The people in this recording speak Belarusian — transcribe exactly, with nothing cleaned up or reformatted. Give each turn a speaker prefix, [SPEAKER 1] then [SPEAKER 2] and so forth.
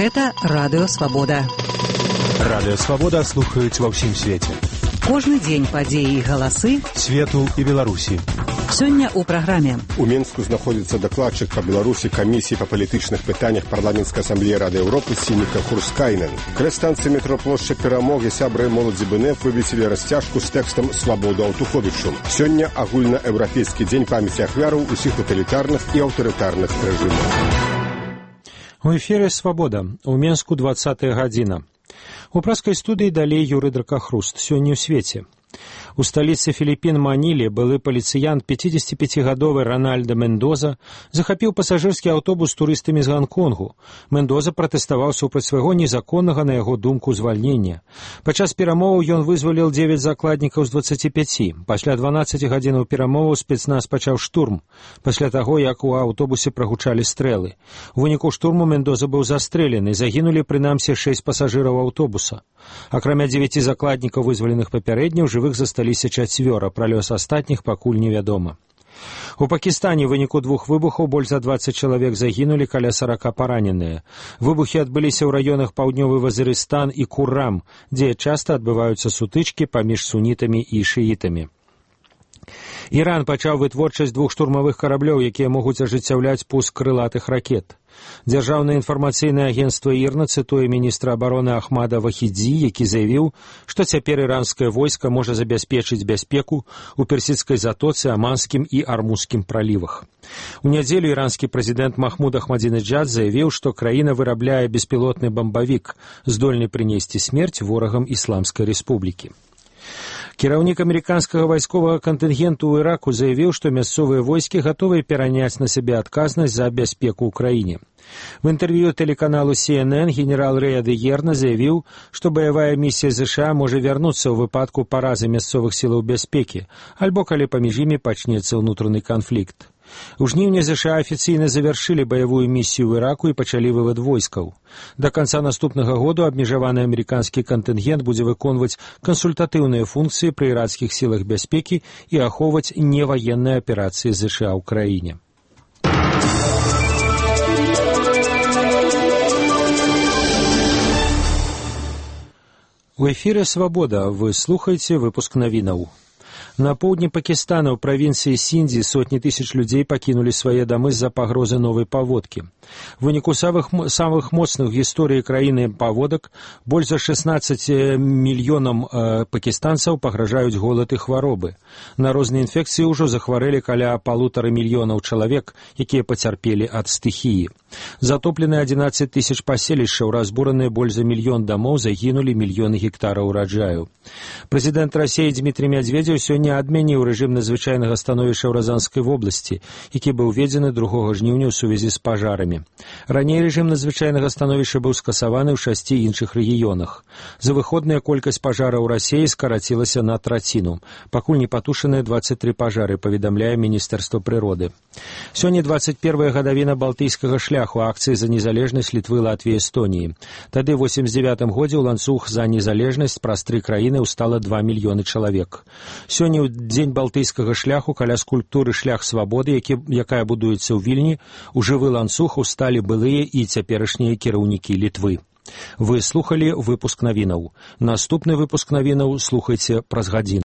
[SPEAKER 1] Гэта Радыё Свабода.
[SPEAKER 2] Радыё Свабода слухаюць ва ўсім свеце.
[SPEAKER 1] Кожны дзень падзеі і галасы
[SPEAKER 2] свету і Беларусі.
[SPEAKER 1] Сёння ў праграме.
[SPEAKER 3] У Мінску знаходзіцца дакладчык па Беларусі камісіі па палітычных пытаннях парламенцкай асамблеі Рады Еўропы Сініка Хурскайнен. Каля станцыі метро плошча Перамогі сябры моладзі БНФ вывесілі расцяжку з тэкстам «Свабоду Аўтуховічу». Сёння агульнаеўрапейскі дзень памяці ахвяраў усіх таталітарных і аўтарытарных рэжымаў.
[SPEAKER 2] У эфире «Свобода». У Менску двадцатая гадзіна. У праскай студыі далей Юрый Дракахруст. Сёння ў свеце. У сталіцы Філіппін Маніле былы паліцыянт пяцідзесяціпяцігадовы Ранальда Мендоза захапіў пасажырскі аўтобус з турыстамі з Ганконгу. Мендоза пратэставаў супраць свайго незаконнага, на яго думку, звальнення. Падчас перамоваў ён вызваліў дзевяць закладнікаў з дваццаці пяці. Пасля дванаццаці гадзінаў перамоваў спецназ пачаў штурм, пасля таго, як у аўтобусе прагучалі стрэлы. У выніку штурму Мендоза быў застрэлены, загінулі прынамсі шэсць пасажыраў аўтобуса. Акрамя дзевяці закладнікаў, вызваленых папярэдне, у жывых засталіся чацвёра, пра лёс астатніх пакуль невядома. У Пакістане ў выніку двух выбухаў больш за дваццаць чалавек загінулі, каля сарака параненыя. Выбухі адбыліся ў раёнах паўднёвы Вазірыстан і Куррам, дзе часта адбываюцца сутычкі паміж сунітамі і шыітамі. Іран пачаў вытворчасць двух штурмавых караблёў, якія могуць ажыццяўляць пуск крылатых ракет. Дзяржаўнае інфармацыйнае агенцтва ІРНА цытуе міністра абароны Ахмада Вахідзі, які заявіў, што цяпер іранскае войска можа забяспечыць бяспеку ў персідскай затоцы, Аманскім і Армузскім пралівах. У нядзелю іранскі прэзідэнт Махмуд Ахмадзінеджад заявіў, што краіна вырабляе беспілотны бамбавік, здольны прынесці смерць ворагам Ісламскай рэспублікі. Кіраўнік амерыканскага вайсковага кантынгенту ў Іраку заявіў, што мясцовыя войскі гатовыя пераняць на сябе адказнасць за бяспеку ў краіне. В інтэрв'ю тэлеканалу Си Эн Эн генерал Рэй Адыерна заявіў, што баявая місія ЗША можа вярнуцца ў выпадку паразы мясцовых сілаў бяспекі, альбо калі паміж імі пачнецца ўнутраны канфлікт. У жніўні ЗША афіцыйна завяршылі баявую місію ў Іраку і пачалі вывад войскаў. Да канца наступнага году абмежаваны амерыканскі кантынгент будзе выконваць кансультатыўныя функцыі пры ірацкіх сілах бяспекі і ахоўваць неваенныя аперацыі ЗША ў краіне. У эфире «Свобода». Вы слухаеце выпуск навінаў. На поўдні Пакістана ў правінцыі Сіндзі сотні тысяч людзей пакінулі свае дамы з-за пагрозы новай паводкі. У выніку самых, самых моцных у гісторыі краіны паводак больш за шэснаццаць мільёнам э, пакістанцаў пагражаюць голад і хваробы. На розныя інфекцыі ўжо захварэлі каля палутары мільёнаў чалавек, якія пацярпелі ад стыхіі. Затоплены адзінаццаць тысяч паселішчаў, разбураныя больш за мільён дамоў, загінулі мільёны гектараў ураджаю. Прэзідэнт Расіі Дмітрый Мядзведзеў сёння адмяніў рэжым надзвычайнага становішча ў Разанскай вобласці, які быў уведзены другога жніўня ў сувязі з пажарамі. Раней рэжым надзвычайнага становішча быў скасаваны ў шасці іншых рэгіёнах. За выходная колькасць пажараў у Расіі скарацілася на траціну. Пакуль не патушаныя дваццаць тры пажары, паведамляе Міністэрства прыроды. Сёння дваццаць першая гадавіна балтыйскага шляху, акцыі за незалежнасць Літвы, Латвіі, Эстоніі. Тады ў восемьдзесят дзевятым годзе ў ланцуг за незалежнасць праз тры краіны ўстала два мільёны чалавек. Сёння ў дзень балтыйскага шляху каля скульптуры «Шлях свабоды», які, якая будуецца ў Вільні, у жывы ланцуг усталі былыя і цяперашнія кіраўнікі Літвы. Вы слухалі выпуск навінаў. Наступны выпуск навінаў слухайце праз гадзіну.